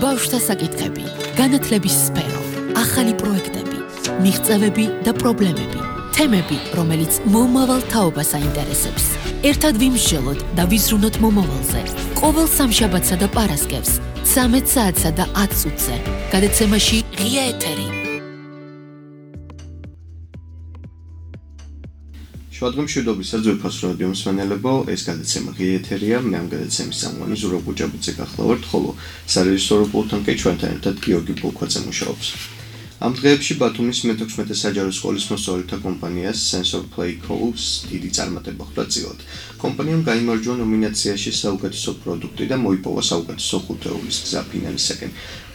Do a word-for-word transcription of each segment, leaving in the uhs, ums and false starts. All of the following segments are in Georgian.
ბავშვთა საკითხები, განათლების სფერო, ახალი პროექტები, მიღწევები და პრობლემები, თემები, რომელიც მომავალ თაობას აინტერესებს. ერთად ვიმსჯელოთ და ვიზრუნოთ მომავალზე. ყოველ სამშაბათსა და პარასკევს, ცამეტ საათსა და ათ წუთზე, გადაცემაში ღია ეთერი. შუადღემშვიდობისა ძვირფას რადიო მსმენელებო, ეს გადაცემა ღია ეთერია, მე ამ გადაცემის წამყვანი ზურაბ გუჯაბიძე გახლავართ, ხოლო სარეჟისორო პულტთან კი ჩვენთან ერთად გიორგი ბულქვაძე მუშაობს. ამ დღეებში ბათუმის მეთექვსმეტე საჯარო სკოლის მოსწავლეთა კომპანიას SensorPlay Co-ს დიდი წარმატება ხვდა წილად. კომპანიამ გაიმარჯვა ნომინაციაში საუკეთესო პროდუქტი და მოიპოვა საუკეთესო ხუთეულის გზა ფინალისაკენ.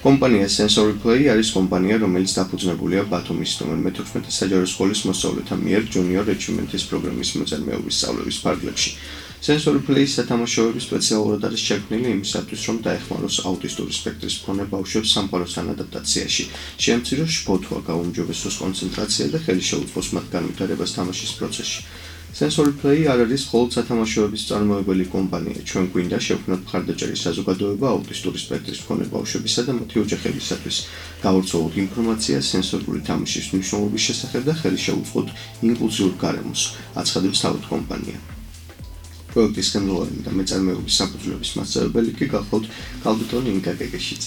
კომპანია SensorPlay არის კომპანია, რომელიც დაფუძნებულია ბათუმის ნომერ მეთექვსმეტე საჯარო სკოლის მოსწავლეთა მიერ ჯუნიორ ეჩივმენტის პროგრამის მოწარმეობის სწავლების ფარგლებში. SensorPlay-ის სათამაშოები სპეციალურად არის შექმნილი იმისათვის, რომ დაეხმაროს აუტისტური სპექტრის მქონე ბავშვებს სამყაროსთან ადაპტაციაში, შეამციროს შფოთვა, გაუმჯობესოს კონცენტრაცია და ხელი შეუწყოს მათ განვითარებას თამაშის პროცესში. SensorPlay არ არის მხოლოდ სათამაშოების წარმოებელი კომპანია, ჩვენ გვინდა შევქმნათ მხარდაჭერი საზოგადოება აუტისტური სპექტრის მქონე ბავშვებისა და მათი ოჯახებისათვის, გავვრცელოთ ინფორმაცია სენსორული თამაშის მნიშვნელობის შესახებ და ხელი შეუწყოთ ინკლუზიურ გარემოს, აცხადებს თავად კომპანია. პროექტის ხელმძღვანელი და მეწარმეობის საფუძვლების მასწავლებელი კი გახლავთ კალბიტონი ინკაკეკეშიც.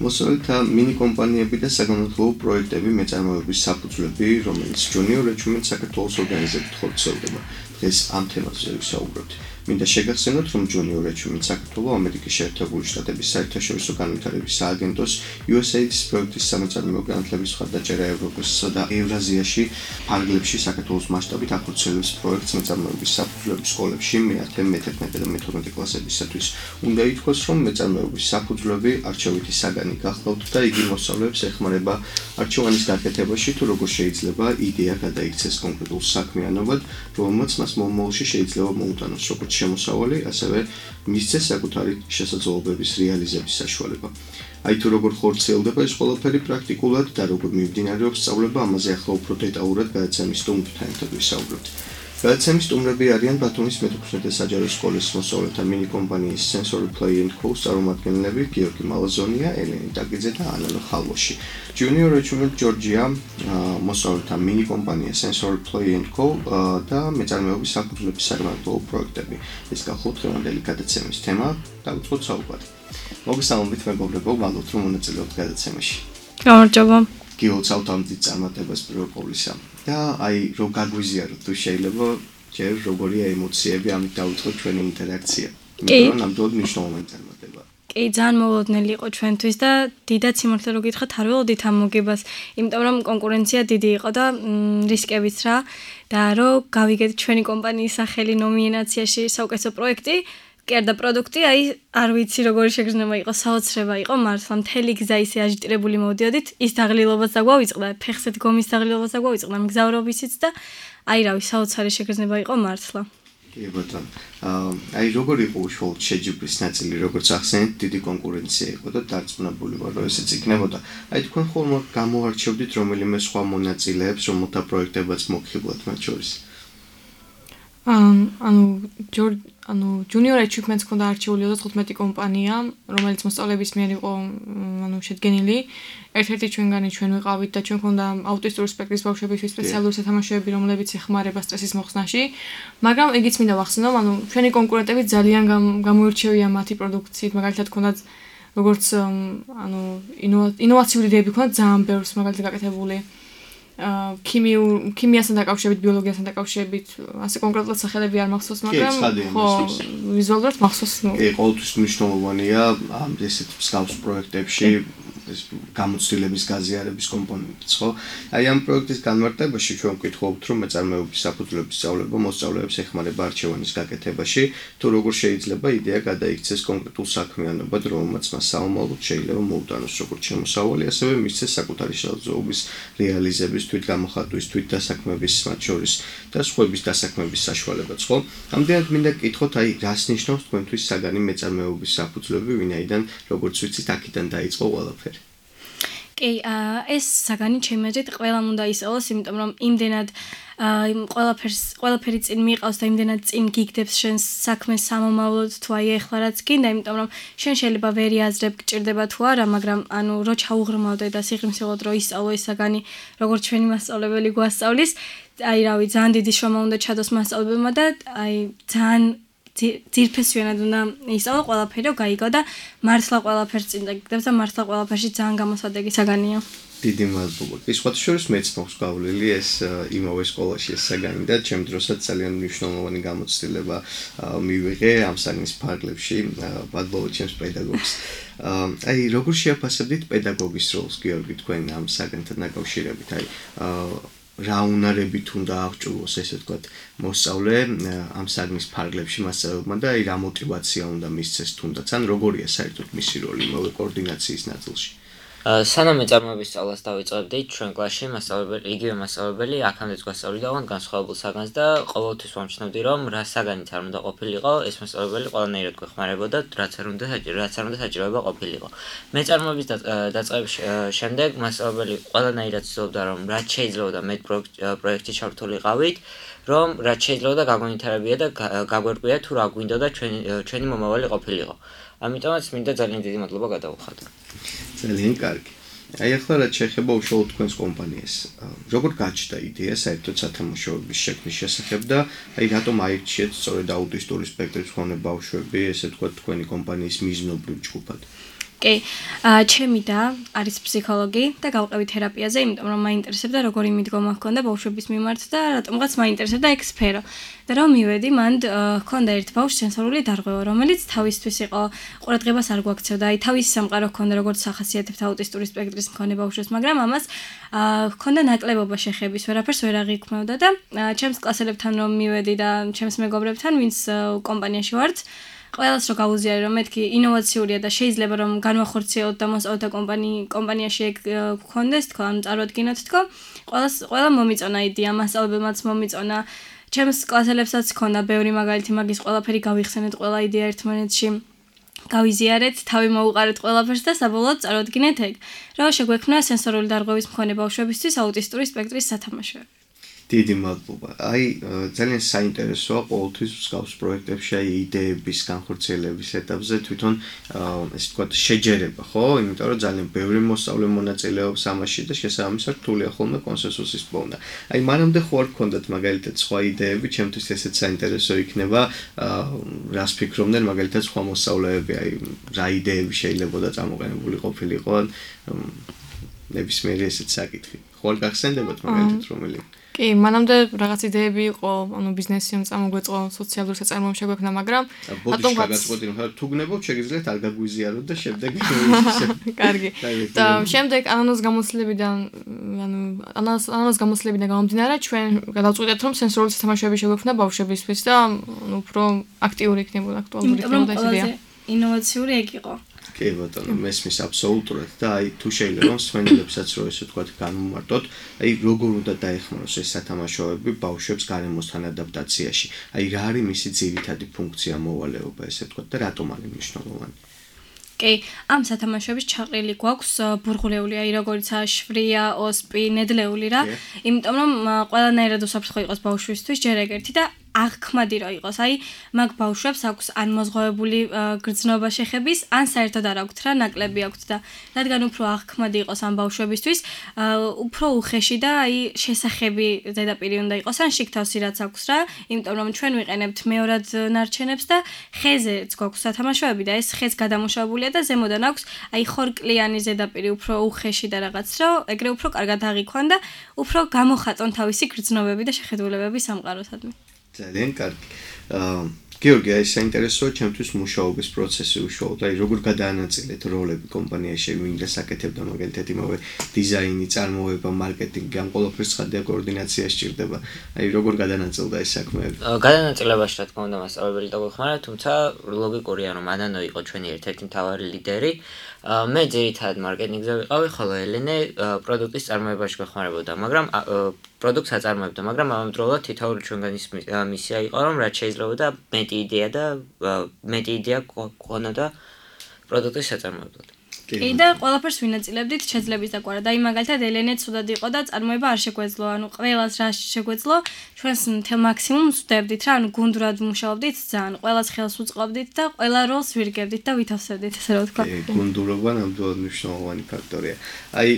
მოსწავლეთა მინი კომპანიები და საგანმანათლებლო პროექტები მეწარმეობის საფუძვლები, რომელიც ჯუნიორ ეჩვიმენტ საქართველოს ორგანიზებით ხორციელდება. დღეს ამ თემაზე ვისაუბრებთ. მინდა შეგახსენოთ, რომ ჯუნიორ ეჩვიმენტ საქართველოს ამერიკის შეერთებული შტატების საერთაშორისო განვითარების სააგენტოს იუ ეს ეი აიდის პროექტის სამეწარმეო განათლების მხარდაჭერა ევროპასა და ევრაზიაში ფარგლებში საქართველოს მასშტაბით ახორციელებს პროექტს მეწარმეობის საფუძვლების სკოლებში მეათე, მეთერთმეტე და მეთორმეტე კლასებისათვის. უნდა ითქვას, რომ მეწარმეობის საფუძვლები არჩევითი საგანი გახლავთ და იგი მოსწავლეებს ეხმარება არჩევანის გაკეთებაში, თუ როგორ შეიძლება იდეა გადაიქცეს კონკრეტულ საქმიანობად, რომელმაც მას მომავალში შეიძლება მოუტანოს როგორც შემოსავალი, ასევე მისცეს საკუთარი შესაძლებლობების რეალიზების საშუალება. აი თუ როგორ ხორციელდება ეს ყველაფერი პრაქტიკულად და როგორ მიმდინარეობს სწავლება, ამაზე ახლა უფრო დეტალურად გადაცემის სტუმრთან ერთად ვისაუბრებთ. გადაცემის სტუმრები არიან ბათუმის მეთექვსმეტე საჯარო სკოლის მოსწავლეთა მინი კომპანიის SensorPlay Co-ს წარმომადგენლები გიორგი მალაზონია, ელენე დაგიძე და ანანო ხალვაში. ჯუნიორ ეჩვიმენტ ჯორჯია მოსწავლეთა მინი კომპანია SensorPlay Co და მეწარმეობის საფუძვლების საგანმანათლებლო პროექტები. ეს გახლავთ დღევანდელი გადაცემის თემა, დავიწყოთ საუბარი. მოგესალმებით მეგობრებო, ვალოთ რომ მონაწილეობთ გადაცემაში. გამარჯობა. გიოლცავთ ამ დიდ წარმატებას პირველ ყოვლისა. და აი რო გაგვიზიაროთ თუ შეიძლება ჯერ როგორია ემოციები, ამით დავიწყოთ ჩვენი ინტერაქცია. იმიტომ რომ ნამდვილად მნიშვნელოვანი წარმატება. კი, ძალიან მოულოდნელი იყო ჩვენთვის და დიდად სიმართლე რო გითხრათ, არ ველოდით ამ მოგებას, იმიტომ რომ კონკურენცია დიდი იყო და რისკებიც რა და რო გავიგეთ ჩვენი კომპანიის სახელი ნომინაციაში საუკეთესო პროექტი, კერდა პროდუქტი, აი არ ვიცი როგორი შეგრძნება იყო, საოცრება იყო მართლა, მთელი გზა ისე აჟიტირებული მოვდიოდით, ის დაღლილობაც დაგვავიწყდა, ფეხსეთ გომის დაღლილობაც დაგვავიწყდა, მგზავრობისიც და აი რავი, საოცარი შეგრძნება იყო მართლა. კი ბატონო. აი როგორი იყო უშუალოდ შეჯიბრის ნაწილი, როგორც ახსენეთ, დიდი კონკურენცია იყო და დარწმუნებული ვარ, რომ ესეც იქნებოდა. აი თქვენ ხოლმე გამოარჩევდით რომელიმე სხვა მონაწილეებს, რომელთა პროექტებაც მოგხიბლათ მათ შორის? ანუ ჯორ ანუ ჯუნიორ ეჩვიმენტს ქონდა არჩეული ოცდათხუთმეტი კომპანია, რომელიც მოსწავლეების მიერ იყო ანუ შედგენილი. ერთ-ერთი ჩვენგანი ჩვენ ვიყავით და ჩვენ ქონდა აუტისტური სპექტრის ბავშვებისთვის სპეციალური სათამაშოები, რომლებიც ეხმარება სტრესის მოხსნაში. მაგრამ ეგიც მინდა ვახსენო, ანუ ჩვენი კონკურენტები ძალიან გამოირჩევიან მათი პროდუქციით, მაგალითად ქონდათ როგორც ანუ ინოვაციური იდეები ქონდათ ძალიან ბევრს მაგალითად გაკეთებული. ქიმიურ ქიმიასთან დაკავშირებით, ბიოლოგიასთან დაკავშირებით, ასე კონკრეტულად სახელები არ მახსოვს, მაგრამ ხო, ვიზუალურად მახსოვს. კი, ყოველთვის მნიშვნელოვანია ამ ესეთ მსგავს პროექტებში ეს გამოცდილების გაზიარების კომპონენტიც, ხო? აი ამ პროექტის განმარტებაში ჩვენ ვკითხავთ, რომ მეწარმეობის საფუძვლების სწავლება მოსწავლეებს ეხმარება არჩევანის გაკეთებაში, თუ როგორ შეიძლება იდეა გადაიქცეს კონკრეტულ საქმიანობად, რომელმაც მას საომალოდ შეიძლება მოუტანოს როგორც შემოსავალი, ასევე მისცეს საკუთარი შესაძლებლობის რეალიზების, თვით გამოხატვის, თვით დასაქმების, მათ შორის და სხვების დასაქმების საშუალებაც, ხო? ამდენად მინდა გკითხოთ, აი რას ნიშნავს თქვენთვის საგანი მეწარმეობის საფუძვლები, ვინაიდან როგორც ვიცით, აქედან დაიწყო ყველაფერი. კი, ეს საგანი ჩემი აზრით ყველამ უნდა ისწავლოს, იმიტომ რომ იმდენად ყველაფერს ყველაფერი წინ მიყავს და იმდენად წინ გიგდებს შენს საქმეს სამომავლოდ თუ აი ეხლა რაც გინდა, იმიტომ რომ შენ შეიძლება ვერ იაზრებ გჭირდება თუ არა, მაგრამ ანუ რო ჩაუღრმავდე და სიღრმისეულად რო ისწავლო ეს საგანი, როგორც ჩვენი მასწავლებელი გვასწავლის, აი რავი, ძალიან დიდი შრომა უნდა ჩადოს მასწავლებელმა და აი ძალიან ძირფესვიანად უნდა ისწავლო ყველაფერი, რომ გაიგო და მართლა ყველაფერს წინ დაგიგდებს და მართლა ყველაფერში ძალიან გამოსადეგი საგანია. დიდი მადლობა. კი, სხვათა შორის მეც მაქვს გავლილი ეს იმავე სკოლაში ეს საგანი და ჩემ დროსაც ძალიან მნიშვნელოვანი გამოცდილება მივიღე ამ საგნის ფარგლებში. მადლობა ჩემს პედაგოგს. აი, როგორ შეაფასებდით პედაგოგის როლს, გიორგი, თქვენ ამ საგანთან დაკავშირებით? აი, რა უნარებით უნდა აღჭურვოს, ესე ვთქვათ, მოსწავლე ამ საგნის ფარგლებში მასწავლებელმა და აი რა мотиваცია უნდა მისცეს თუნდაც, ან როგორია საერთოდ მისი როლი იმავე კოორდინაციის ნაწილში? სანამ მეწარმოების სწავლას დავიწყებდით, ჩვენ კლასში მასწავლებელი, იგივე მასწავლებელი აქამდე გვასწავლიდა ოღონდ განსხვავებულ საგანს და ყოველთვის ვამჩნევდი, რომ რა საგანით არ უნდა ყოფილიყო, ეს მასწავლებელი ყველანაირად გვეხმარებოდა, რაც არ უნდა რაც არ უნდა საჭიროება ყოფილიყო. მეწარმოების დაწყების შემდეგ მასწავლებელი ყველანაირად ცდილობდა, რომ რაც შეიძლებოდა მე პროექტში ჩართულიყავით, რომ რაც შეიძლება გაგვინტერესებია და გაგვერკვია თუ რა გვინდოდა ჩვენი ჩვენი მომავალი ყოფილიყო. ამიტომაც მინდა ძალიან დიდი მადლობა გადავუხადო. ძალიან კარგი. აი ახლა რაც შეეხება უშუალოდ თქვენს კომპანიას, როგორ გაჩნდა იდეა საერთოდ სათამაშოების შექმნის შესახებ და აი რატომ აირჩიეთ სწორედ აუტისტური სპექტრის მქონე ბავშვები, ესე ვთქვათ, თქვენი კომპანიის მიზნობრივ ჯგუფად? კი, ჩემი და არის ფსიქოლოგი და გავყევი თერაპიაზე, იმიტომ რომ მაინტერესებდა როგორი მიდგომა ჰქონდა ბავშვების მიმართ და რატომღაც მაინტერესებდა ეგ სფერო. და რომ მივედი, მან ჰქონდა ერთ ბავშვს სენსორული დარღვევა, რომელიც თავისთვის იყო ყურადღებას არ გვაქცევდა, აი თავის სამყარო ჰქონდა როგორც სახასიათებთ აუტისტური სპექტრის მქონე ბავშვს, მაგრამ ამას ჰქონდა ნაკლებობა შეხების, ვერაფერს ვერ აღიქმევდა და ჩემს კლასელებთან რომ მივედი და ჩემს მეგობრებთან, ვინც კომპანიაში ვართ, ყველას რო გავუზიარე რომ მეთქი ინოვაციურია და შეიძლება რომ განვახორციელოთ და მოსწავლეთა კომპანიაში ეგ გქონდეს თქო, ან წარვადგინოთ თქო, ყველას ყველა მომიწონა იდეა, მასწავლებელმაც მომიწონა, ჩემს კლასელებსაც ჰქონდა ბევრი მაგალითი მაგის ყველაფერი გავიხსენეთ, ყველა იდეა ერთმანეთში გავიზიარეთ, თავი მოუყარეთ ყველაფერს და საბოლოოდ წარვადგინეთ ეგ, რომ შეგვექმნა სენსორული დარღვევის მქონე ბავშვებისთვის აუტისტური სპექტრის სათამაშოები. დიდი მადლობა. აი, ძალიან საინტერესოა ყოველთვის მსგავს პროექტებში აი იდეების განხორციელების ეტაპზე თვითონ ესე ვთქვათ შეჯერება, ხო? იმიტომ რომ ძალიან ბევრი მოსწავლე მონაწილეობს ამაში და შესაბამისად რთულია ხოლმე კონსენსუსის პოვნა. აი, მანამდე ხო არ გქონდათ მაგალითად სხვა იდეები, ჩემთვის ესეც საინტერესო იქნება, რას ფიქრობდნენ მაგალითად სხვა მოსწავლეები, აი, რა იდეები შეიძლებოდა წამოყენებული ყოფილიყო, ნებისმიერი ესეც საკითხი. ხო არ გახსენდებათ მაგალითად რომელი? კი, მანამდე რაღაც იდეები იყო, ანუ ბიზნესი რომ წამოგვეწყო, სოციალური საწარმოები შეგვექმნა, მაგრამ რატომ გაგაწყვეტი რომ თუ გნებობ, შეგიძლიათ არ გაგვიზიაროთ და შემდეგ კარგი. და შემდეგ ანანოს გამოცდილებიდან, ანუ ანანოს გამოცდილებიდან გამომდინარე, ჩვენ გადავწყვიტეთ რომ სენსორული სათამაშოები შეგვექმნა ბავშვებისთვის და უფრო აქტიური იქნებოდა, აქტუალური იქნებოდა ეს იდეა. ინოვაციური ეგ იყო. კი ბატონო, მესმის აბსოლუტურად და აი თუ შეიძლება მსმენელებსაც რო ესე ვთქვათ განმარტოთ, აი როგორ უნდა დაეხმაროს ეს სათამაშოები ბავშვებს გარემოსთან ადაპტაციაში. აი რა არის მისი ძირითადი ფუნქცია, მოვალეობა, ესე ვთქვათ და რატომ არის მნიშვნელოვანი? კი, ამ სათამაშოების ჩაყრილი გვაქვს ბურღულეული, აი როგორიცაა შვრია, ოსპი, ნედლეული რა, იმიტომ რომ ყველანაირად უსაფრთხო იყოს ბავშვისთვის ჯერ ეგერთი და აღქმადი რო იყოს. აი, მაგ ბავშვებს აქვს ან მოზღვავებული გრძნობა შეხების, ან საერთოდ არ აქვთ რა, ნაკლები აქვთ და რადგან უფრო აღქმადი იყოს ამ ბავშვებისთვის, უფრო უხეში და აი შესახები ზედაპირი უნდა იყოს, ან შიგთავსი რაც აქვს რა, იმიტომ რომ ჩვენ ვიყენებთ მეორად ნარჩენებს და ხეზეც გვაქვს სათამაშოები და ეს ხეც გადამუშავებულია და ზემოდან აქვს აი ხორკლიანი ზედაპირი უფრო უხეში და რაღაც რო, ეგრე უფრო კარგად აღიქვან და უფრო გამოხატონ თავისი გრძნობები და შეხედულებები სამყაროსადმი. ძალიან კარგი. გიორგი, აი საინტერესოა ჩემთვის მუშაობის პროცესი უშუალოდ, აი როგორ გადაანაწილეთ როლები კომპანიაში, ვინ დასაკეთებდა მაგალითად იმავე დიზაინი, წარმოება, მარკეტინგი, ამ ყველაფერს ხადია კოორდინაცია სჭირდება. აი როგორ გადაანაწილდა ეს საქმეები? გადანაწილებაში რა თქმა უნდა მასწავლებელი დაგვეხმარა, თუმცა ლოგიკურია რომ ანანო იყო ჩვენი ერთ-ერთი მთავარი ლიდერი. მე ძირითადად მარკეტინგზე ვიყავი, ხოლო ელენე პროდუქტის წარმოებაში გვეხმარებოდა, მაგრამ პროდუქტს აწარმოებდა, მაგრამ ამავდროულად თითოეული ჩვენგანის მისია იყო, რომ რაც შეიძლებოდა მეტი იდეა და მეტი იდეა გქონოდა პროდუქტის საწარმოებლად. კი და ყველაფერს ვინაწილებდით შეძლების დაკვარა. და იმ მაგალითად ელენე ცუდად იყო და წარმოება არ შეგვეძლო. ანუ ყველას რა შეგვეძლო, ჩვენს მთელ მაქსიმუმს ვდებდით რა, ანუ გუნდურად მუშაობდით ძალიან. ყველას ხელს უწყობდით და ყველა როლს ვირგებდით და ვითავსებდით, ესე რომ ვთქვა. გუნდურობა ნამდვილად მნიშვნელოვანი ფაქტორია. აი,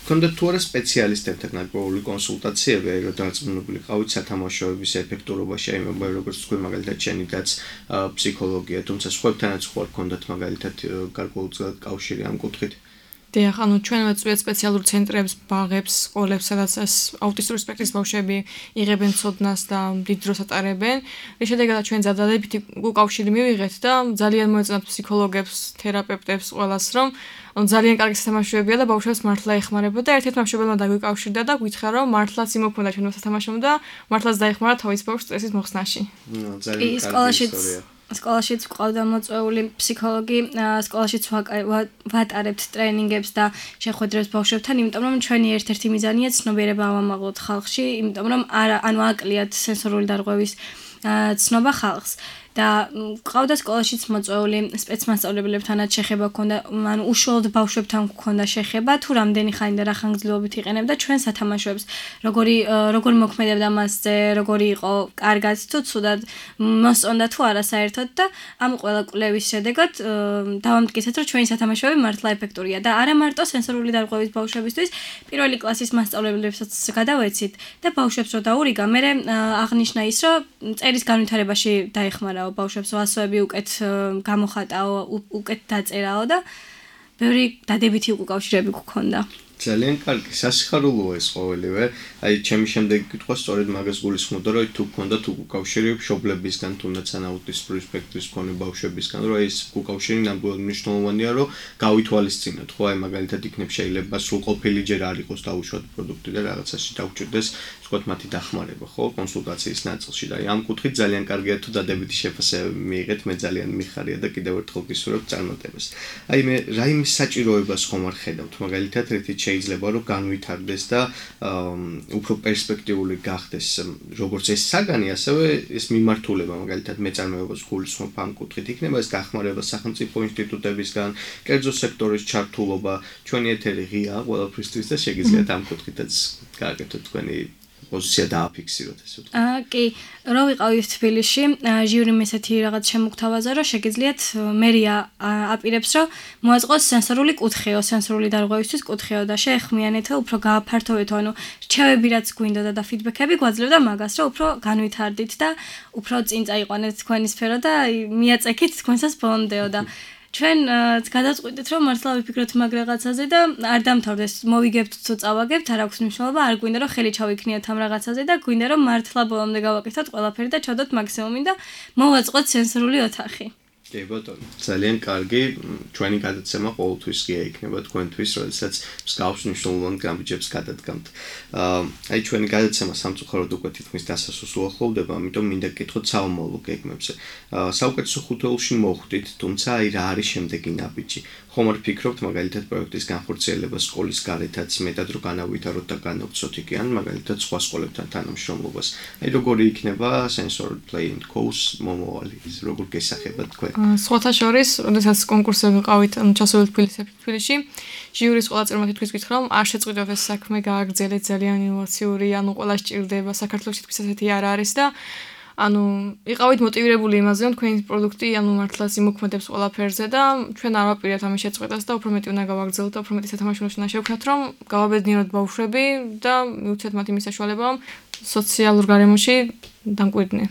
გქონდათ თუ არა სპეციალისტებთან გარკვეული კონსულტაციები, რომ დარწმუნებული ყავით სათამაშოების ეფექტურობაში, აი მე როგორც თქვი მაგალითად შენიდაც ფსიქოლოგია, თუმცა სხვებთანაც ხო არ გქონდათ მაგალითად გარკვეულწილად კავშირი ამ კუთხით? დიახ, ანუ ჩვენ ვეწვიეთ სპეციალურ ცენტრებს, ბაღებს, სკოლებს, სადაც ეს აუტისტური სპექტრის ბავშვები იღებენ ცოდნას და დიდ დროს ატარებენ. რის შედეგად ჩვენ დადებითი უკავშირი მივიღეთ და ძალიან მოეწონათ ფსიქოლოგებს, თერაპევტებს, ყველას, რომ ძალიან კარგი სათამაშოებია და ბავშვებს მართლა ეხმარება და ერთ-ერთ ბავშვებმა დაგვიკავშირდა და გითხრა, რომ მართლაც იმოქმედა ჩვენ სათამაშომ და მართლაც დაეხმარა თავის ბავშვს სტრესის მოხსნაში. ძალიან კარგი ისტორია. სკოლაშიც ყავდა მოწვეული ფსიქოლოგი, სკოლაშიც ვატარებთ ტრენინგებს და შეხვედრებს ბავშვებთან, იმიტომ რომ ჩვენი ერთ-ერთი მიზანია ცნობიერება ავამაღლოთ ხალხში, იმიტომ რომ არა, ანუ აკლიათ სენსორული დარღვევის ცნობა ხალხს. და ყავდა სკოლაშიც მოწვეული სპეცმასწავლებლებთანაც შეხება ჰქონდა, ანუ უშუალოდ ბავშვებთან ჰქონდა შეხება, თუ რამდენი ხანი და რა ხანგრძლივობით იყენებდა ჩვენ სათამაშოებს, როგორი როგორ მოქმედებდა მასზე, როგორი იყო კარგად თუ ცუდად, მოსწონდა თუ არა საერთოდ და ამ ყველა კვლევის შედეგად დავამტკიცეთ, რომ ჩვენი სათამაშოები მართლა ეფექტურია და არა მარტო სენსორული დარღვევის ბავშვებისთვის, პირველი კლასის მასწავლებლებსაც გადავეცით და ბავშვებს რო დაურიგა, მე აღნიშნა ის, რომ წერის განვითარებაში დაეხმარა ბავშვებს ვასოები უკეთ გამოხატაო, უკეთ დაწერაო და ბევრი დადებითი უკავშირები გქონდა. ძალიან კარგი, სასიხარულოა ეს ყოველივე. აი, ჩემი შემდეგი კითხვა სწორედ მაგას გულისხმობდა, რომ თუ გქონდათ უკავშირი მშობლებისგან, თუნდაც ან აუტისტური სპექტრის მქონე ბავშვებისგან, რომ ეს უკავშირი ნამდვილად მნიშვნელოვანია, რომ გავითვალისწინოთ, ხო, აი მაგალითად იქნებ შეიძლება სრულყოფილი ჯერ არ იყოს დაუშვათ პროდუქტი და რაღაცაში დაუჭირდეს, ვთქვათ, მათი დახმარება, ხო, კონსულტაციის ნაწილში და აი ამ კუთხით ძალიან კარგია თუ დადებითი შეფასებები მიიღეთ, მე ძალიან მიხარია და კიდევ ერთხელ გისურვებ წარმატებას. აი მე რაიმე საჭიროებას ხომ არ ხედავთ, მაგალითად ერთი შეიძლება რომ განვითარდეს და უფრო პერსპექტიული გახდეს როგორც ეს საგანი, ასევე ეს მიმართულება, მაგალითად მეწარმეობას გულისხმობ ამ კუთხით იქნება ეს დახმარება სახელმწიფო ინსტიტუტებისგან, კერძო სექტორის ჩართულობა, ჩვენი ეთერი ღია ყველაფრისთვის და შეგიძლიათ ამ კუთხითაც გააკეთოთ თქვენი პოზიცია დააფიქსიროთ ესე ვთქვი. აა კი, რო ვიყავით თბილისში, ჟიურიმ ესეთი რაღაც შემოგთავაზა, რომ შეგიძლიათ მერია აპირებს, რომ მოაწყოს სენსორული კუთხეო, სენსორული დარღვევისთვის კუთხეო და შეეხმიანეთო, უფრო გააფართოვეთო, ანუ რჩევები რაც გვინდოდა და ფიდბექები გვაძლევდა მაგას, რომ უფრო განვითარდით და უფრო წინ წაიყვანეთ თქვენი სფერო და მიაწექით თქვენსაც ბოლომდეო და ჩვენ გადაწყვიტეთ, რომ მართლა ვიფიქროთ მაგ რაღაცაზე და არ დამთავრდეს, მოვიგებთ თუ წავაგებთ, არ აქვს მნიშვნელობა, არ გვინდა რომ ხელი ჩავიქნიოთ ამ რაღაცაზე და გვინდა რომ მართლა ბოლომდე გავაკეთოთ ყველაფერი და ჩავდოთ მაქსიმუმი და მოვაწყოთ სენსორული ოთახი. კი ბატონო, ძალიან კარგი, ჩვენი გადაცემა ყოველთვის ღია იქნება თქვენთვის, როდესაც მსგავს მნიშვნელოვან გამბიჯებს გადადგამთ. აი ჩვენი გადაცემა სამწუხაროდ უკვე თითქმის დასასრულს უახლოვდება, ამიტომ მინდა გკითხოთ საომავლო გეგმებზე. საუკეთესო ხუთეულში მოხვდით, თუმცა აი რა არის შემდეგი ნაბიჯი? ხომ არ ფიქრობთ მაგალითად პროექტის განხორციელებას სკოლის გარეთაც მეტად რო განავითაროთ და განავცოთ იქ ან მაგალითად სხვა სკოლებთან თანამშრომლობას. აი როგორი იქნება Sensor Play and Course მომავალი, როგორ გესახება თქვენ? სხვათა შორის, როდესაც კონკურსზე ვიყავით ჩასული თბილისში, ჟიურის ყველა წევრმა თითქმის გითხრა, რომ არ შეწყვიტოთ ეს საქმე, გააგრძელეთ, ძალიან ინოვაციური, ანუ ყველა სჭირდება, საქართველოში თითქმის ასეთი არ არის და ანუ იყავით მოტივირებული იმაზე, რომ თქვენი პროდუქტი ანუ მართლაც იმოქმედებს ყველაფერზე და ჩვენ არ ვაპირებთ ამის შეწყვეტას და უფრო მეტი უნდა გავაგრძელოთ და უფრო მეტი სათამაშო უნდა შევქმნათ, რომ გავაბედნიეროთ ბავშვები და მივუცეთ მათ იმის საშუალება, რომ სოციალურ გარემოში დამკვიდრდნენ.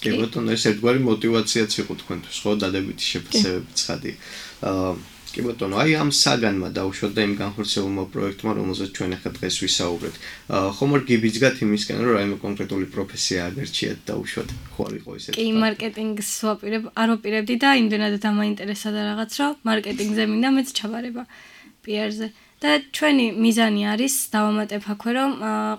კი ბატონო, ეს ერთგვარი მოტივაციაც იყო თქვენთვის, ხო, დადებითი შეფასებები ცხადი. აა კი ბატონო, აი ამ საგანმა დაუშვათ და იმ განხორციელებულმა პროექტმა, რომელზეც ჩვენ ახლა დღეს ვისაუბრეთ. ხომ არ გიბიძგათ იმისკენ, რომ რაიმე კონკრეტული პროფესია აგერჩიათ დაუშვათ, ხო არ იყო ესეთი? კი, მარკეტინგს ვაპირებ, არ ვაპირებდი და იმდენად დამაინტერესა და რაღაც, რომ მარკეტინგზე მინდა მეც ჩაბარება პი არ-ზე. და ჩვენი მიზანი არის დავამატებ აქვე, რომ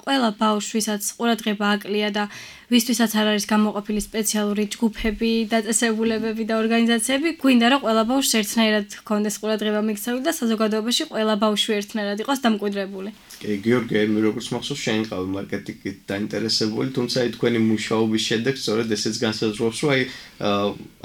ყველა ბავშვისაც ყურადღება აკლია და ვისთვისაც არ არის გამოყოფილი სპეციალური ჯგუფები, დაწესებულებები და ორგანიზაციები, გვინდა რომ ყველა ბავშვს ერთნაირად ჰქონდეს ყურადღება მიქცეული და საზოგადოებაში ყველა ბავშვი ერთნაირად იყოს დამკვიდრებული. კი, გიორგი, მე როგორც მახსოვს, შენ ყავი მარკეტინგით დაინტერესებული, თუმცა აი თქვენი მუშაობის შემდეგ სწორედ ესეც განსაზღვრავს, რომ აი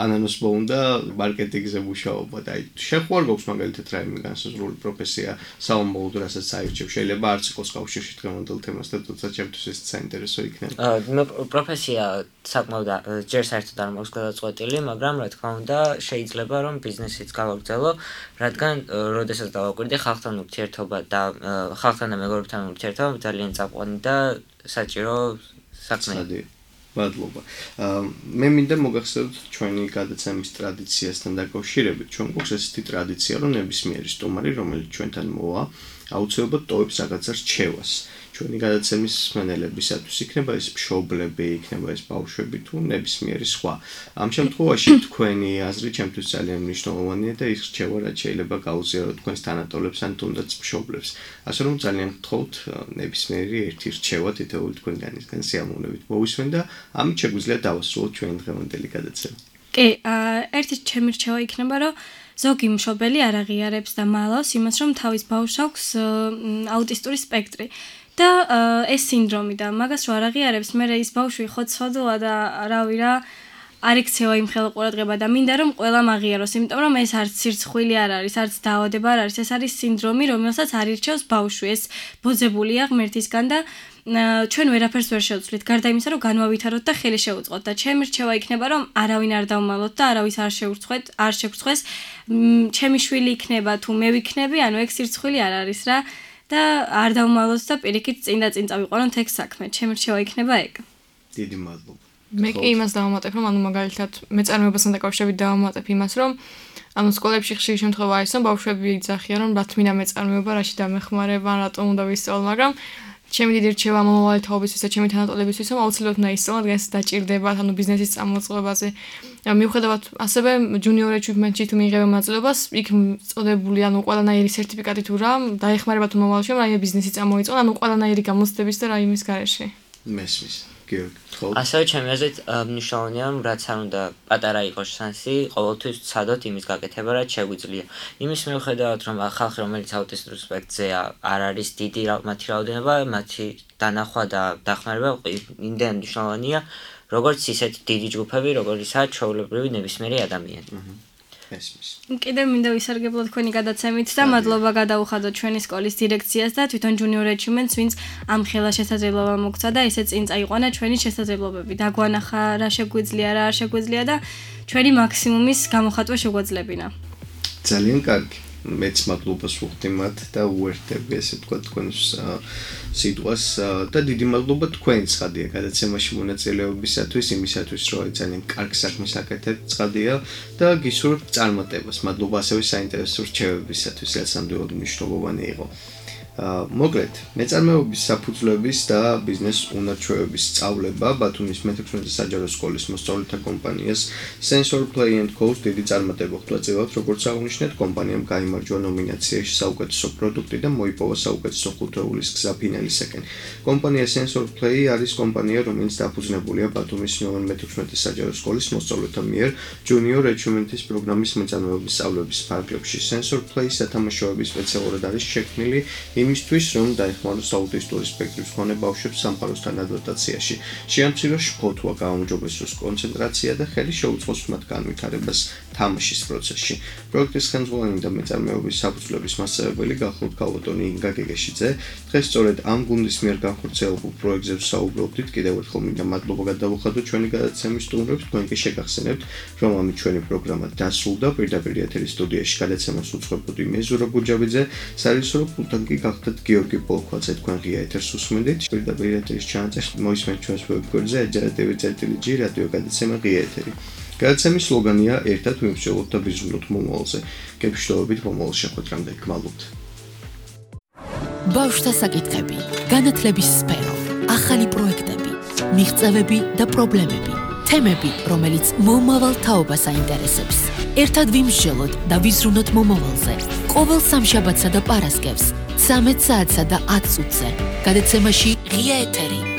ანანოს მოუნდა მარკეტინგზე მუშაობა და აი შეხვარ გვაქვს მაგალითად რაიმე განსაზღვრული პროფესია სამომავლოდ რასაც აირჩევ, შეიძლება არც იყოს კავშირში დღევანდელ თემასთან, თუმცა ჩემთვის ეს საინტერესო იქნება. აა პროფესია საკმაოდ ჯერ საერთოდ არ მაქვს გადაწყვეტილი, მაგრამ რა თქმა უნდა შეიძლება რომ ბიზნესიც გავაგრძელო, რადგან როდესაც დავაკვირდი ხალხთან ურთიერთობა და ხალხთან და მეგობრებთან ურთიერთობა ძალიან წამყვანი და საჭირო საქმეა. მადლობა. მე მინდა მოგახსენოთ ჩვენი გადაცემის ტრადიციასთან დაკავშირებით. ჩვენ გვაქვს ესეთი ტრადიცია, რომ ნებისმიერი სტუმარი, რომელიც ჩვენთან მოვა, აუცილებლად ტოვებს რაღაცა რჩევას. ჩვენი გადაცემის მსმენელებისათვის იქნება ეს მშობლები, იქნება ეს ბავშვები თუ ნებისმიერი სხვა. ამ შემთხვევაში თქვენი აზრი ჩემთვის ძალიან მნიშვნელოვანია და ის რჩევა რაც შეიძლება გაუზიაროთ თქვენს თანატოლებს ან თუნდაც მშობლებს. ასე რომ ძალიან გთხოვთ ნებისმიერი ერთი რჩევა თითოეული თქვენგანისგან სიამოვნებით მოვისმენ და ამით შეგვიძლია დავასრულოთ ჩვენი დღევანდელი გადაცემა. კი, ერთი ჩემი რჩევა იქნება, რომ ზოგი მშობელი არ აღიარებს და მალავს იმას, რომ თავის ბავშვს აქვს აუტისტური სპექტრი. და ეს სინდრომი და მაგას რო არ აღიარებს, მე ის ბავშვი ხო ცოდოა და რავი რა არ ექცევა იმ ხელა ყურადღება და მინდა რომ ყველამ აღიაროს, იმიტომ რომ ეს არც სირცხვილი არ არის, არც დაავადება არ არის, ეს არის სინდრომი, რომელსაც არ ირჩევს ბავშვი, ეს ბოძებულია ღმერთისგან და ჩვენ ვერაფერს ვერ შევცვლით, გარდა იმისა, რომ განვავითაროთ და ხელი შევუწყოთ და ჩემი რჩევა იქნება, რომ არავინ არ დავმალოთ და არავის არ შევურცხვეთ, არ შეგრცხვეს, ჩემი შვილი იქნება თუ მე ვიქნები, ანუ ეგ სირცხვილი არ არის რა. და არ დავმალოთ და პირიქით წინ და წინ წავიყვანოთ ეგ საქმე. ჩემი რჩევა იქნება ეგ. დიდი მადლობა. მე კი იმას დავამატებ, რომ ანუ მაგალითად მეწარმეობასთან დაკავშირებით დავამატებ იმას, რომ ანუ სკოლებში ხშირი შემთხვევა არის, რომ ბავშვები იძახიან, რომ რა თმინდა მეწარმეობა, რაში დამეხმარება, რატომ უნდა ვისწავლო, მაგრამ ჩემი დიდი რჩევა მომავალი თაობისთვის და ჩემი თანატოლებისთვის, რომ აუცილებლად უნდა ისწავლო, რადგან ეს დაჭირდებათ, ანუ ბიზნესის წამოწყობაზე. მიუხედავად ასევე junior achievement-ში თუ მიიღებენ მონაწილეობას, იქ წოდებული, ანუ ყველანაირი სერტიფიკატი თუ რა, დაეხმარება თუ მომავალში, რომ რაიმე ბიზნესი წამოიწყო, ანუ ყველანაირი გამოცდების და რაიმის გარეშე. მესმის. გიორგი, ხო. ასევე ჩემი აზრით მნიშვნელოვანია, რომ რაც არ უნდა პატარა იყოს შანსი, ყოველთვის ვცადოთ იმის გაკეთება, რაც შეგვიძლია. იმის მიუხედავად, რომ ხალხი, რომელიც აუტისტურ სპექტრზეა, არ არის დიდი მათი რაოდენობა, მათი დანახვა და დახმარება იმდენ მნიშვნელოვანია, როგორც ისეთ დიდი ჯგუფები, როგორიცაა ჩვეულებრივი ნებისმიერი ადამიანი. კიდევ მინდა ვისარგებლო თქვენი გადაცემით და მადლობა გადაუხადოთ ჩვენი სკოლის დირექციას და თვითონ junior achievements, ვინც ამ ხელა შესაძლებლობა მოგცა და ესე წინ წაიყვანა ჩვენი შესაძლებლობები. დაგვანახა რა შეგვიძლია, რა არ შეგვიძლია და ჩვენი მაქსიმუმის გამოხატვა შეგვაძლებინა. ძალიან კარგი. მეც მადლობას ვუხდი მათ და უერთდები ესე თქვა თქვენს სიტყვას და დიდი მადლობა თქვენ ცხადია გადაცემაში მონაწილეობისათვის, იმისათვის რომ ძალიან კარგ საქმეს აკეთებთ ცხადია და გისურვებთ წარმატებას. მადლობა ასევე საინტერესო რჩევებისათვის, რაც ნამდვილად მნიშვნელოვანი იყო. მოკლედ, მეწარმეობის საფუძვლების და ბიზნეს უნარჩვევების სწავლება ბათუმის მეთექვსმეტე საჯარო სკოლის მოსწავლეთა კომპანიას Sensor Play and Co-ს დიდი წარმატება ხვდა წილად, როგორც აღნიშნეთ, კომპანიამ გაიმარჯვა ნომინაციაში საუკეთესო პროდუქტი და მოიპოვა საუკეთესო ხუთეულის გზა ფინალისაკენ. კომპანია Sensor Play არის კომპანია, რომელიც დაფუძნებულია ბათუმის მეთექვსმეტე საჯარო სკოლის მოსწავლეთა მიერ Junior Achievement-ის პროგრამის მეწარმეობის სწავლების ფარგლებში. Sensor Play სათამაშოების სპეციალურად არის შექმნილი იმისთვის, რომ დაეხმაროს აუტისტური სპექტრის მქონე ბავშვებს სამყაროსთან ადაპტაციაში. შეამციროს შფოთვა, გაუმჯობესოს კონცენტრაცია და ხელი შეუწყოს მათ განვითარებას თამაშის პროცესში. პროექტის ხელმძღვანელი და მეწარმეობის საფუძვლების მასწავლებელი გახლავთ ქალბატონი ინგა გეგეშიძე. დღეს სწორედ ამ გუნდის მიერ განხორციელებულ პროექტზე ვსაუბრობდით. კიდევ ერთხელ მინდა მადლობა გადავუხადოთ ჩვენი გადაცემის სტუმრებს. თქვენ კი შეგახსენებთ, რომ ამით ჩვენი პროგრამა დასრულდა. პირდაპირ ეთერის სტუდიაში გადაცემას უძღვებოდი მე ზურაბ გუჯაბიძე. სარისორო პულტან კი გახლავთ გიორგი პოლქვაძე. თქვენ ღია ეთერს უსმენთ. პირდაპირ ეთერის ჩანაწერს მოისმენთ ჩვენს ვებგვერდზე ეჯერატივი.ჟ რადიო გადაცემა ღია ეთერი. გადაცემის სლოგანია ერთად მივსჯელოთ და ვიზრუნოთ მომავალზე. გეშლობით მომავალ შეხვედრამდე გმადლობთ. ბავშვთა საკითხები, განათლების სფერო, ახალი პროექტები, მიღწევები და პრობლემები, თემები, რომელიც მომავალ თაობას აინტერესებს. ერთად ვიმსჯელოთ და ვიზრუნოთ მომავალზე. ყოველ სამშაბათსა და პარასკევს, ცამეტ საათსა და ათ წუთზე. გადაცემაში ღია ეთერი.